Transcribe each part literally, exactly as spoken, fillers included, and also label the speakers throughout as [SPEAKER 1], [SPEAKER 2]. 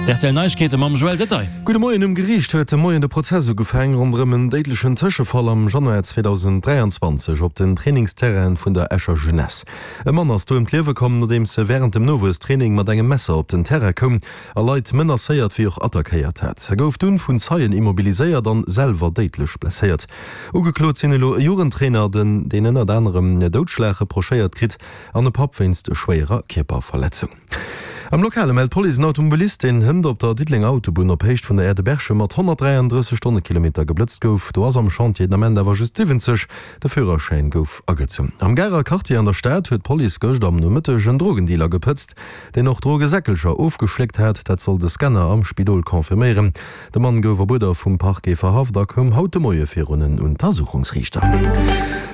[SPEAKER 1] D' R T L Neiegkeete mam Joël Detaille.
[SPEAKER 2] Gudde Moien, Um Geriicht huet de Moien de Prozess ugefaang ronderëm en déidlechen Tëschefall am Januar zweedausenddräianzwanzeg op den Trainingsterrainen vun der Escher Jeunesse. E Mann ass do ëm d'Liewe komm, nodeems e wärend dem Nowuesstraining mat engem Messer op den Terrain koum a Leit menacéiert wéi och attackéiert hat. E gouf dunn vun Zeien immobiliséiert an selwer déidlech blesséiert. Ugeklot sinn elo e Jugendtrainer, den deen ënnert anerem Doudschlag reprochéiert kritt, an e Papp wéinst schwéierer Kierperverletzung. Am Lokale mellt d'Police en Automobilist, deen hënt op der Diddelenger Autobunn op Héicht vun der Aire de Berchem mat honnertdräiandrësseg Stonnekilometer geblëtzt gouf. Do ass am Chantier den Ament awer just siwwenzeg. De Führerschäin gouf agezunn. Am Garer Quartier an der Stad huet d'Police gëscht am Nomëtteg en Drogendealer gepëtzt, deen och Drogesäckelcher ofgeschléckt hat. Dat soll de Scanner am Spidol confirméieren. De Mann gouf op Uerder vum Parquet verhaft a koum haut de Moie virun en Untersuchungsriichter.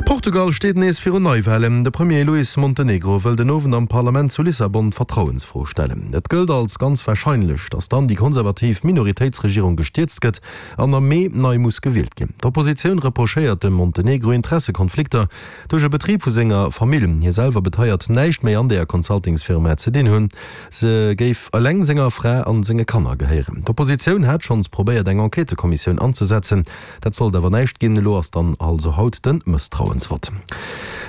[SPEAKER 2] Portugal steet nees virun Neiwahlen. De Premier Luis Montenegro wëll den Owend am Parlament zu Lissabon d'Vertrauensfro stellen. Et gëllt als ganz warscheinlech, datt dann déi konservativ Minoritéitsregierung gestierzt gëtt an am Mee nei muss gewielt ginn. D'Oppositioun reprochéiert dem Montenegro Interessekonflikter duerch e Betrib vu senger Famill. Hie selwer beteiert, näischt méi an deeër Consultingsfirma ze dinn hunn. Se géif eleng senger Fra an senge Kanner gehéieren. D'Oppositioun hat schonns probéiert eng Enquêtëkommissioun anzesetzen. Dat sollt awer näischt ginn. Elo ass dann also haut de Mësstrauensvott.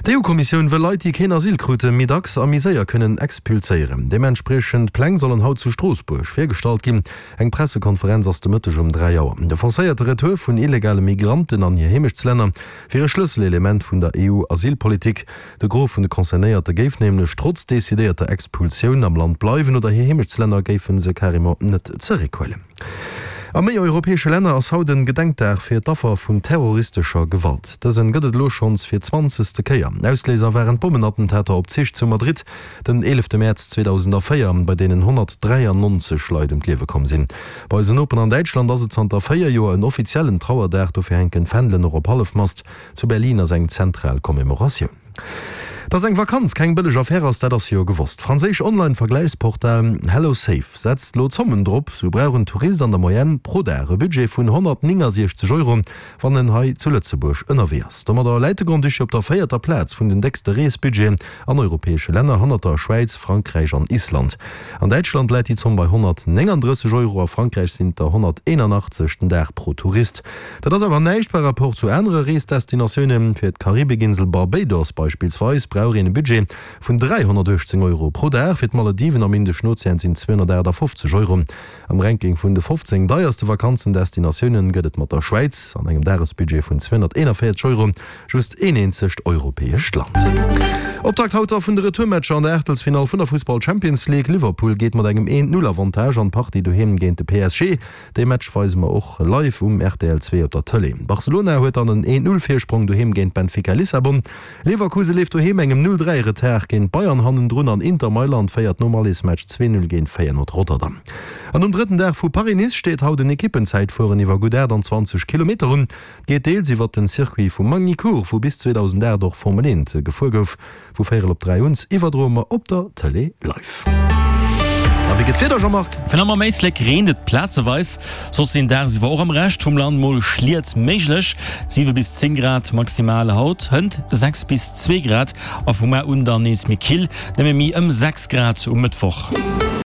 [SPEAKER 2] D'E U-Kommissioun wëll Leit, déi keen Asyl kruten, méi dacks a méi séier kënnen expulséieren. Deementspriechend Pläng sollen haut zu Stroossbuerg virgestallt ginn. Eng Pressekonferenz ass de Mëtteg um dräi Auer. De forcéierte Retour vun illegale Migranten an hir Heemechtslänner wier e Schlësselelement vun der E U-Asylpolitik. De Gros vun de Concernéierte géif nämlech trotz decidéierter Expulsioun am Land bleiwen oder hir Heemechtslänner géife se carrément net zeréckhuelen. A méi europäesche Länner ass haut en Gedenkdag fir d'Affer vun terroristescher Gewalt. Dësen gëtt et elo schonns fir zwanzegste Kéier. Ausléiser waren d'Bommenattentater op Zich zu Madrid den eelefte Mäerz zweedausendvéier, bei deenen honnertdräiannonzeg Leit ëm d'Liewe komm sinn. Bei eisen Nopen an Däitschland ass et zanter véier Joer en offiziellen Trauerdag, dofir hänken d'Fändelen och op Hallefmast. Zu Berlin ass eng zentral Commemoratioun. Dass eng Vakanz keng bëlleg Affär ass, dat ass jo gewosst. D'franséisch Online-Vergläichsportal HelloSafe setzt elo Zommen drop. Sou brauch en Tourist an der Moyenne pro Dag e Budget vun honnertnéngasiechzeg Euro, wann en hei zu Lëtzebuerg ënnerwee ass. Domadder läit de Grand-Duché op der véierter Plaz vun den déckste Reesbudgeten an europäesche Länner, hannert der Schwäiz, Frankräich an Island. An Däitschland läit déi Zomm bei honnertnéngandrësseg Euro, a Frankräich sinn et der honnerteenanachtzeg den Dag pro Tourist. Dat ass awer näischt par rapport zu anere Reesdestinatiounen. Fir d'Karibikinsel Barbados beispillsweis brauch een e Budget vun dräihonnertuechtzéng Euro pro Dag, fir d'Malediven am Indeschen Ozean sinn et zweehonnertaachtafoffzeg Euro. Am Ranking vun de fofzéng deierste Vakanzendestinatioune gëtt et mat der Schwäiz an engem Dagesbudget vun zweehonnerteenanvéierzeg Euro just een eenzegt europäescht Land. Optakt haut da vun de Retourmatcher an der Aachtelsfinall vun der Fussball Champions League. Liverpool geet mat engem een Null Avantage an d'Partie doheem géint de P S G. Dee Match weise mer och live um R T L zwee op der Tëlee. Barcelona huet dann en een Null Virsprong doheem géint Benfica Lissabon. Leverkusen leeft doheem engem Null dräi Retard géint Bayern hannendrun an Inter Mailand féiert nom Allesmatch zwee Null géint Feyenoord Rotterdam. An um drëtten Dag vu Paris-Nice steet haut en Ekippenzäitfueren iwwer gutt aachtanzwanzeg Kilometer un. Geet deels iwwer den Circuit vu Magny-Cours, wou bis zweedausendaacht och Formel eent gefuer gouf. Vu véierel op dräi un iwwerdroe mer op der Tëlee live. A wéi gëtt d'Wieder, Jean-Marc?
[SPEAKER 1] Fir am Éislek reent et plazeweis, soss sinn dagsiwwer och am Rescht vum Land mol Schliet méiglech. siwe bis zéng Grad maximal haut, hënt sechs bis zwee Grad a vu mar un dann nees méi kill, nëmme méi ëm sechs Grad um Mëttwoch.